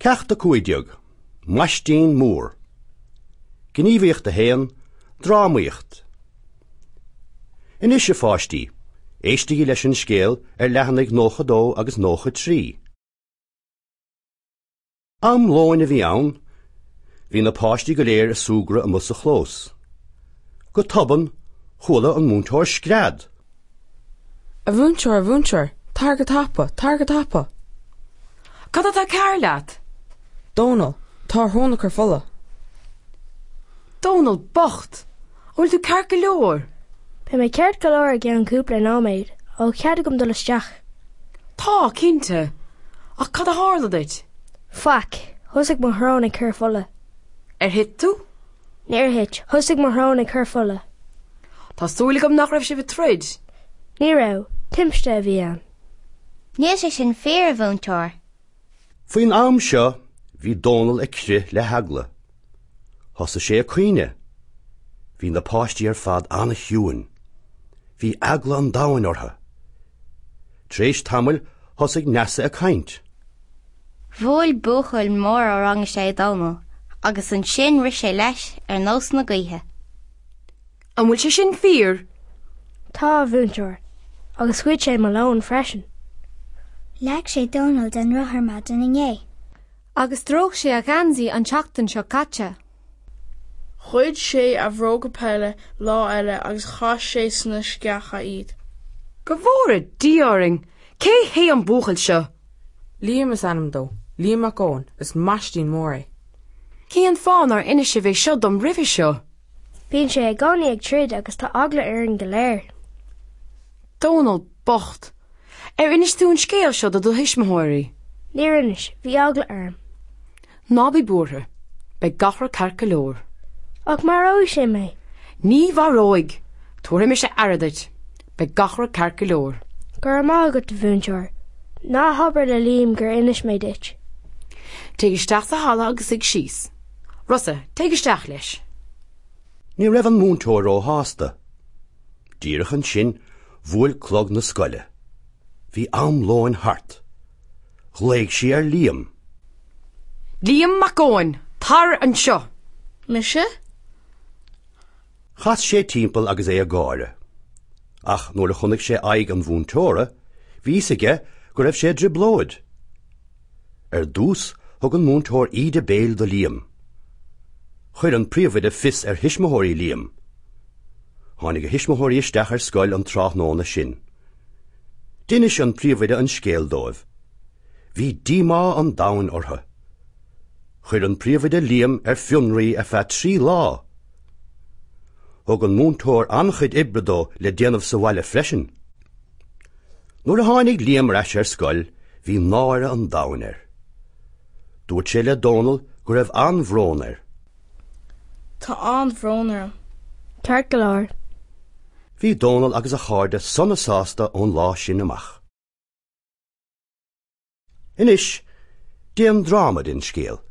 Ceacht 15, Maistín Mór. Gníomhaíocht 1, Drámaíocht. Anois, a pháistí, éistigí leis an scéal ar leathanaigh 92 agus 93. Am lóin a bhí ann. Bhí na páistí go léir ag súgradh amuigh sa chlós. Go tobann, chuala an múinteoir scread. A mhúinteoir, a mhúinteoir, tar go tapa, tar go tapa! Cad atá cearr leat? Dónal, tá a shrón ag cur fola. Dónal bocht! An bhfuil tú ceart go leor? Beidh mé ceart go leor i gceann cúpla nóiméad. An bhfuil cead agam dul isteach? Tá, cinnte. Ach cad a tharla duit? Faic. Thosaigh mo shrón ag cur fola. Ar thit tú? Níor thit. Thosaigh mo shrón ag cur fola. Tá súil agam nach raibh sibh ag troid? Ní raibh. Timpiste a bhí ann. Níl sé sin fíor, a mhúinteoir. Faoin am seo, bhí Dónal ag crith le heagla. Thosaigh sé ag caoineadh. Bhí na páistí ar fad an-chiúin. Bhí eagla an domhain orthu. Tar éis tamaill thosaigh Neasa ag caint. Bhuail buachaill mór ó rang a sé Dónal agus ansin rith sé leis ar nós na gaoithe. An bhfuil sé sin fíor? Tá, a mhúinteoir. Agus ghoid sé mo lón freisin. Leag sé Dónal den rothar maidin inné. Agus stróic sé a gheansaí an tseachtain seo caite. Ghoid sé a bhróga peile lá eile agus chaith sé sna sceacha iad. Go bhfóire Dia orainn! Cé hé an buachaill seo? Liam is ainm dó, Liam Mac Eoin, is maistín mór é. Cén fáth nár inis sibh é seo dom roimhe seo? Bíonn sé i gcónaí ag troid agus tá eagla orainn go léir. Dónal bocht! Ar inis tú an scéal seo do do thuismitheoirí? Níor inis, bhí eagla orm. Ná bí buartha, beidh gach rud ceart go leor. Ach maróidh sé mé. Ní mharóidh! Tabharfaidh mise aire duit. Beidh gach rud ceart go leor. Go raibh maith agat, a mhúinteoir. Ná habair le Liam gur inis mé duit. Téigh isteach sa halla agus suigh síos. Rosa, téigh isteach leis. Ní raibh an múinteoir róshásta. Díreach ansin, bhuail clog na scoile. Bhí am lóin thart. Ghlaoigh sí ar Liam. Liam Mac Eoin, tar anseo! Mise? Chas sé timpeall agus é ag gáire. Ach nuair a chonaic sé aghaidh an mhúinteora, bhí fhios aige go raibh sé i dtrioblóid. Ar dtús, thug an múinteoir íde béil do Liam. Chuir an príomhoide fios ar thuismitheoirí Liam. Tháinig a thuismitheoirí isteach ar scoil an tráthnóna sin. D'inis an príomhoide an scéal dóibh. Bhí díomá an domhain orthu. Chuir an príomhoide Liam ar fionraí ar feadh trí lá. Thug an múinteoir an-chuid oibre dó le déanamh sa bhaile freisin. Nuair a tháinig Liam ar ais ar scoil, bhí náire an domhain air. Dúirt sé le Dónal go raibh an-bhrón air. Tá an-bhrón orm. Ceart go leor. Bhí Dónal agus a chairde sona sásta ón lá sin amach. Anois, déan dráma den scéal.